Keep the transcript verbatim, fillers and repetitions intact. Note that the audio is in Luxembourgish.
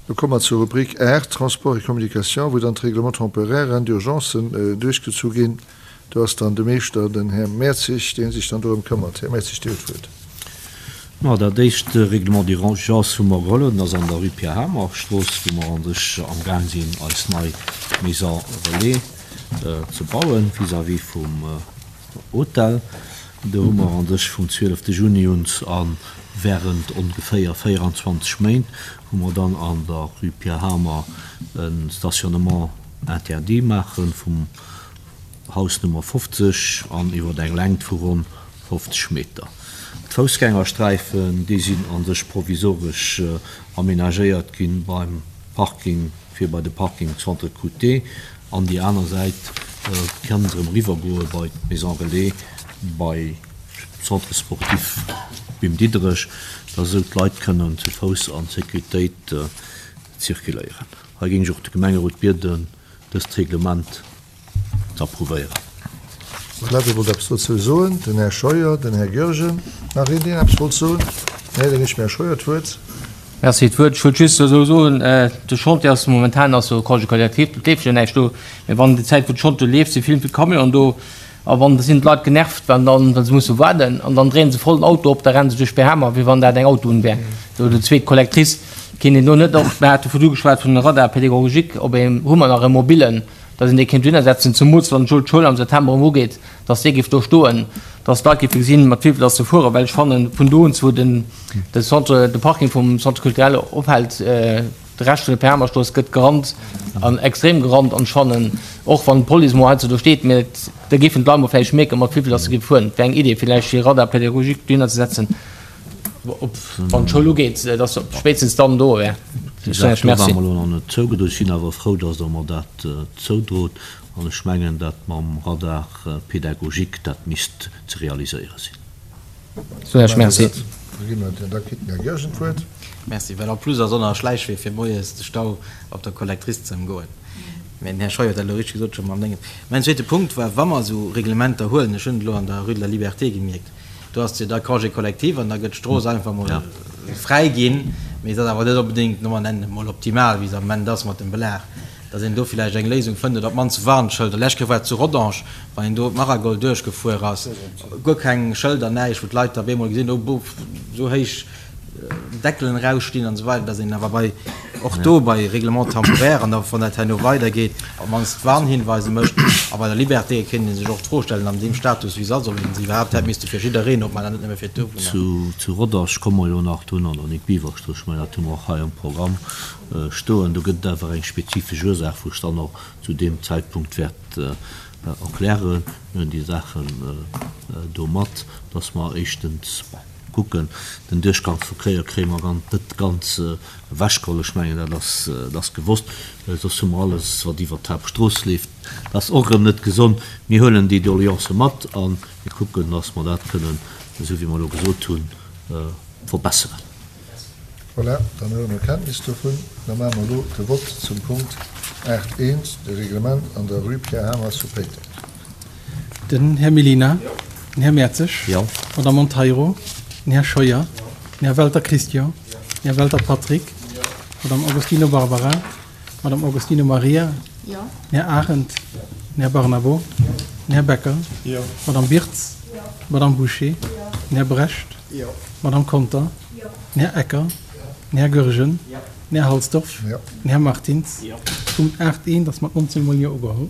Lo komme mer zur Rubrik aacht, Transport et communication, wou dann d'Règlements temporaires d'urgencen duerchgezu ginn. Do ass dann de Meeschter, den Här Mertzig, dee sech dann dorëm këmmert. Här Mertzig, Dir hutt d'Wuert. Ma dat éischt Règlement d'urgence, wou mer geholl hunn, ass an der Rue Pierre Hamer Strooss, wou mer an sech amgaang sinn, eis nei Maison relais ze bauen, vis-à-vis vum Hotel. Do hu mer an sech vum zwielefte Juni un a während ongeféier véieranzwanzeg Méint hu mer dann an der Rue Pierre Hamer e Stationnement interdit maache vum Haus Nummer fofzeg an iwwer eng Längt vu ronn fofzeg Meter. D'Foussgängersträifen, déi sinn a sech provisoresch amenagéiert gi beim Parking, fir bei de Parking Centre Couté an déi aner Säit kann et erëm eriwwergoe bei d'Maison Relais, bei Centre sportif Bim Diderech, dass esou d'Leit kënnen zu Fouss an Sécuritéit zirkuléieren. Hei géing ech och de Gemengerot bieden, dëst Reglement ze approuvéieren. Voilà, wie wollt eppes dozou soen? Den Här Scheuer, den Här Goergen. Nach een, deen eppes wollt soen? Nee, da ginn ech dem Här Scheuer d'Wuert. Merci, d'Wuert. Ech wollt just esou soen, de Chantier ass momentan ass jo Congé collectif, et leeft jo näischt do. Mee wann déi Zäit, wou de Chantier leeft, si vill, vill Camionen do. A wann, da sinn d'Leit genervt, well dann, well se musse waarden. An dann dréie se voll den Auto op, da renne se duerch Behamer, wéi wann dat eng Autobunn wär. Sou, déi zweet Collectrice kéint een do net och, mir hate virdu geschwat vun Radar pédagogique, ob een, hu mer nach e mobilen, datt een dee kéint dohinner setzen, zemools wann d'Schoul am September erëm ugeet, datt dee géif do stoen, datt d'Leit géife gesinn, mat wéi vill datt se fueren. Well ech fannen, vun do un, wou den, de Centre, de Parking vum Centre culturel ophält, de Rescht vun der Permastrooss gëtt gerannt an extrem gerannt. An ech fannen, och wann d'Police mol heiansdo do steet, mä da géifen d'Leit mol vläicht mierken, mat wéi vill datt se géife fueren. Et wär eng Idee vläicht, fir e Radar pédagogique dohinner ze setzen. Op wann d'Schoul ugeet, dass se spéitstens dann do wär. Déi Saach do war mer elo nach net zougedroen. Ech sinn awer frou, dass Der mer dat zoudrot. An ech mengen, dat mam Radar pédagogique, dat misst ze realiséiere sinn. Soen ech Merci. Da gi mer, da kritt den Här Goergen d'Wuert. Merci. Well en plus ass och nach e Schläichwee fir moies de Stau op der Collectrice ze ëmgoen. Mä den Här Scheuer huet dat elo richteg gesot scho mam Déngen. Mäin zweete Punkt war, wa mer esou Reglementer huelen, ech hunn et elo an der Rue de la Liberté gemierkt, Do ass jo da Congé collectif an da gëtt d'Strooss einfach mol fräi ginn, mee se ass awer net onbedéngt, no mer nennen et mol, optimal, wéi se am Moment ass mat dem Belag, dass een do villäicht eng Léisung fënnt oder op d'mannst Warnschëlder. Lescht Kéier war et zu Rodange, wann een do d'Maragold duerchgefuer ass, guer keng Schëlder, näischt, wou d'Leit da op eemol gesinn, oh bouf, esou héich Deckelen erausstinn an esou weider, dass een awer bei, och do bei Règlements temporaires an da wann dat herno weidergeet, op d'mannst Warnhinweise mécht. A bei der Liberté kéint ee sech och d'Fro stellen, an deem Status wéi se ass, ob een se iwwerhaapt hätt misste fir jiddereen opmaachen an net nëmme fir d'Awunner. Zu, zu Rodange komme mer jo nach dunn an der Nic Biever-Strooss, ech mengen dat hu mer och hei am Programm stoen. Do gëtt et awer eng spezifesch Ursaach, wou ech dann och zu deem Zäitpunkt wäert erklären. Mir hunn déi Saachen do mat, dass mer éischtens, bon, Kucken, den Duerchgangsverkéier kréie mer ganz net ganz ewechgeholl. Ech mengen, dat ass, dat ass gewosst. Soss hu mer alles, wat iwwert d'Haaptstrooss leeft. Dat ass och erëm net gesond. Mir huelen déi Doleancë mat a mir kucken, dass mer dat kënnen, esou wéi mer elo gesot hunn, verbesseren. Voilà, dann huele mer Kenntnis dovun. Da maache mer elo de Vott zum Punkt aacht eent, de Reglement an der Rue Pierre Hamer zu Péiteng. Den Här Mellina. Jo. Den Här Mertzig. Jo. D'Madame Monteiro. Den Här Scheuer. Jo. Den Här Welter Christian. Jo. Den Här Welter Patrick. Jo. D'Madame Agostino Barbara. D'Madame Agostino Maria. Jo. Den Här Arendt. Jo. Den Här Barnabo. Jo. Den Här Becker. Jo. D'Madame Birtz. Jo. D'Madame Bouché. Jo. Den Här Brecht. Jo. D'Madame Conter. Jo. Den Här Ecker. Jo. Den Här Goergen. Jo. Den Här Halsdorf. Jo. Den Här Martins. Jo. Punkt aacht eent ass mat nonzéng mol Jo ugeholl.